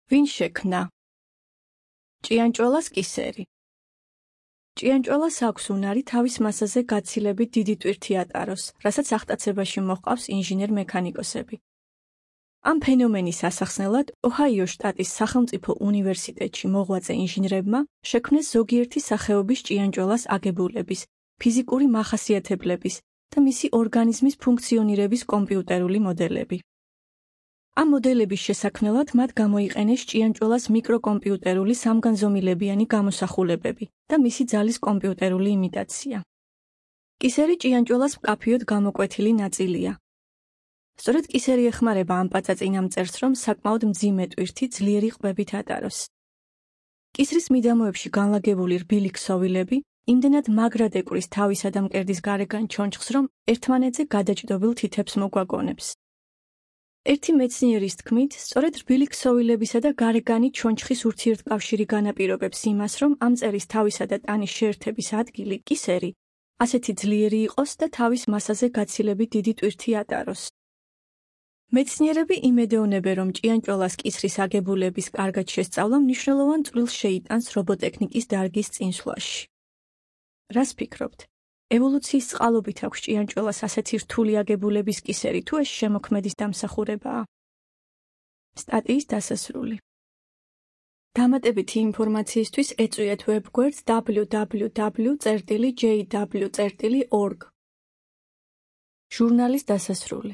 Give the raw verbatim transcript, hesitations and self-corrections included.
ვინ შექმნა? ჭიანჭველას კისერი. ჭიანჭველას აქვს უნარი თავის მასაზე გაცილებით დიდი ტვირთი ატაროს, რასაც აღტაცებაში მოჰყავს ინჟინერ-მექანიკოსები. ამ ფენომენის ასახსნელად ოჰაიოს შტატის სახელმწიფო უნივერსიტეტში მოღვაწე ინჟინრებმა შექმნეს ზოგიერთი სახეობის ჭიანჭველას აგებულების, ფიზიკური მახასიათებლების და მისი ორგანიზმის ფუნქციონირების კომპიუტერული მოდელები. ამ მოდელების შესაქმნელად მათ გამოიყენეს ჭიანჭველას მიკროკომპიუტერული სამგანზომილებიანი გამოსახულებები და მისი ძალის კომპიუტერული იმიტაცია. კისერი ჭიანჭველას მკაფიოდ გამოკვეთილი ნაწილია. სწორედ კისერი ეხმარება ამ პაწაწინამწერს, რომ საკმაოდ მძიმე ტვირთი ძლიერი ყბებით ატაროს. კისრის მიდამოებში განლაგებული რბილი ქსოვილები იმდენად მაგრად ეკვრის თავისა და მკერდის გარეგან ჩონჩხს, რომ ერთმანეთზე გადაჭდობილ თითებს მოგვაგონებს. ერთი მეცნიერის თქმით, სწორედ რბილი ქსოვილებისა და გარეგანი ჩონჩხის ურთიერთკავშირი განაპირობებს იმას, რომ ამ წერის თავისა და ტანის შეერთების ადგილი კისერი ასეთი ძლიერი იყოს და თავის მასაზე გაცილებით დიდი ტვირთი ატაროს. მეცნიერები იმედეონებენ, რომ ჭიანჭველას კისრის აგებულების კარგად შესწავლა მნიშვნელოვან წვლილს შეიტანს რობოტექნიკის დარგის წინსვლაში. რას ფიქრობთ? ევოლუციის წყალობით აქვს ჭიანჭველას ასეთი რთული აგებულების კისერი, თუ ეს შემოქმედის დამსახურებაა? სტატიის დასასრული. დამატებითი ინფორმაციისთვის ეწვიეთ ვებგვერდს დაბლიუ დაბლიუ დაბლიუ წერტილი ჯეი დაბლიუ წერტილი ორგ. ჟურნალის დასასრული.